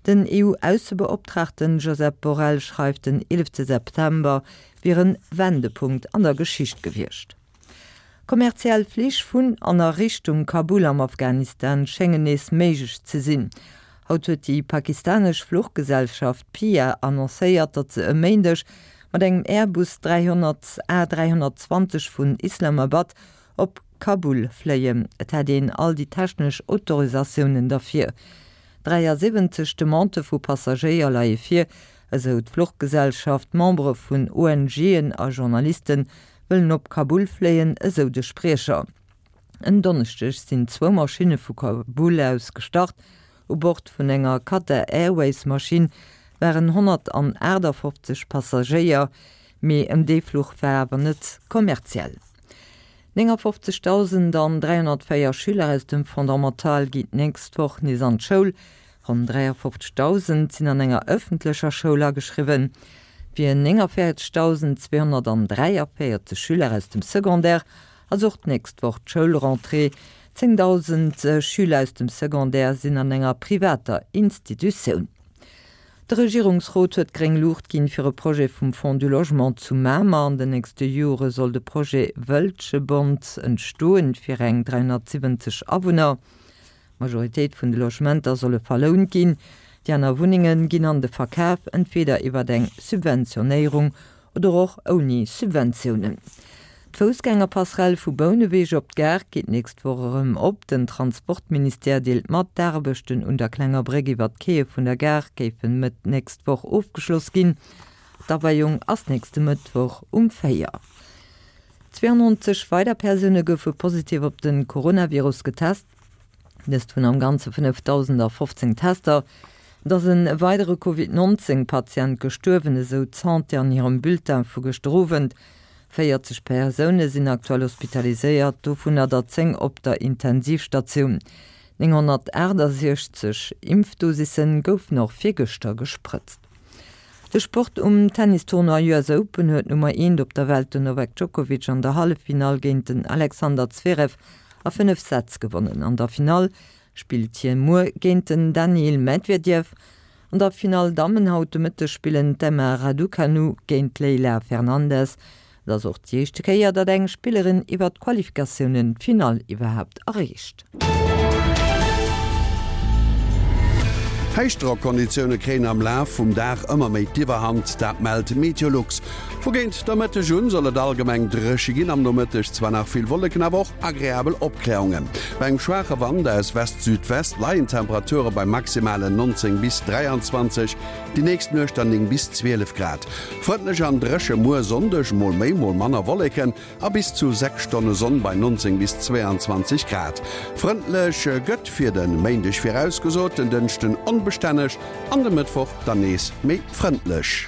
Den E U-Aussebeoptraagten Josep Borrell schreift den eelefte September wier en Wendepunkt an der Geschicht gewiescht. Kommerziell Flich vun an a Richtung Kabul am Afghanistan schéngen nees méiglech ze sinn. Haut huet déi pakistanesch Fluchgesellschaft P I A annoncéiert, datt se e Méindeg mat engem Airbus dräihonnert A dräihonnertzwanzeg vun Islamabad op Kabul fléien. Et hätt een all déi technesch Autorisatiounen derfir. dräiasiwwenzeg Demandë vu Passagéier leie vir, esou d'Fluchgesellschaft. Membere vun O N G'en a Journaliste wëllen op Kabul fléien, esou de Spriecher. En Donneschdeg sinn zwou Maschinne vu Kabul aus gestart. U Bord vun enger Qatar Airways Maschinn waren honnertaachtafoffzeg Passagéier, mee ëm dee Fluch war awer net kommerziell. néngafofzegdausend an dräihonnertvéier Schüler aus dem Fondamental ginn d'nächst Woch nees an d'Schoul. Ronn dräiafofzegdausend sinn an enger ëffentlecher Schoul ageschriwwen. Fir néngavéierzegdausend zweehonnertdräiavéierzeg Schüler aus dem Secondaire ass och d'nächst Woch d'Schoulrentrée. Zéngdausend Schüler aus dem Secondaire sinn an enger privater Institutioun. De Regierungsrot huet gréng Luucht ginn fir e Projet vum Fonds du Logement zu Mamer. An den nächste Jore soll de Projet Wëltschebond entstoen fir eng dräihonnertsiwwenzeg Awunner. D'Majoritéit vun de Logementer solle verlount ginn. Déi aner Wunnenge ginn an de Verkaf, entweder iwwer eng Subventionéierung oder och ouni Subventiounen. D'Foussgängerpasserell vu Bouneweg op d'Gare geet d'nächst Woch erëm op. Den Transportministère deelt mat, d'Aarbechten un der klenger Bréck iwwer d'Quaie vun der Gare géifen Mëtt nächst Woch ofgeschloss ginn. D'Aweiung ass nächste Mëttwoch um véier. Zwéianonzeg weider Persoune goufe positiv op de Coronavirus getest, dëst vun am Ganze fënnefdausendafofzéng Tester. Et ass e weidere Covid nonzéng Patient gestuerwen, esou d'Santé an hirem Bulletin vu gëschter Owend. véierzeg Persoune sinn aktuell hospitaliséiert, dovunner der zéng op der Intensivstatioun. nénghonnertaachtasechzeg Impfdosisse goufen och virgëschter gesprëtzt. De Sport, Um Tennistournoi U S Open huet d'Nummer eent op der Welt, den Novak Djokovic, an der Halleffinall géint den Alexander Zverev a fënnef Sätz gewonnen. An der Finall spillt hie muer géint den Daniil Medvedev. An der Finall Dammen haut de Mëtteg spillen d'Emma Raducanu géint d'Leylah Fernandez. Et ass och déi éischte Kéier, datt eng Spillerin iwwer d'Qualifikatiounen d'Finall iwwerhaapt erreecht. Héichdrock-Konditioune kréien am Laf vum Dag ëmmer méi d'Iwwerhand, dat mellt Meteolux. Vu géint der Mëtteg un soll et allgemeng dréche ginn, am Nomëtteg zwar nach vill Wolleken, awer och agreabel Opkläerungen. Bei engem schwaache Wand aus West-Südwest leien d'Temperature bei maximalen neunzéng bis dräianzwanzeg, déi nächst Nuecht dann néng bis zwielef Grad. Frëndlech an dréche muer Sonndeg, mol méi, mol manner Wolleken a bis zu sechs Stonne Sonn bei neunzéng bis zweeanzwanzeg Grad. Frëndlech gëtt fir de Méindeg virausgesot, den Dënschden onbestänneg an de Mëttwoch dann nees méi frëndlech.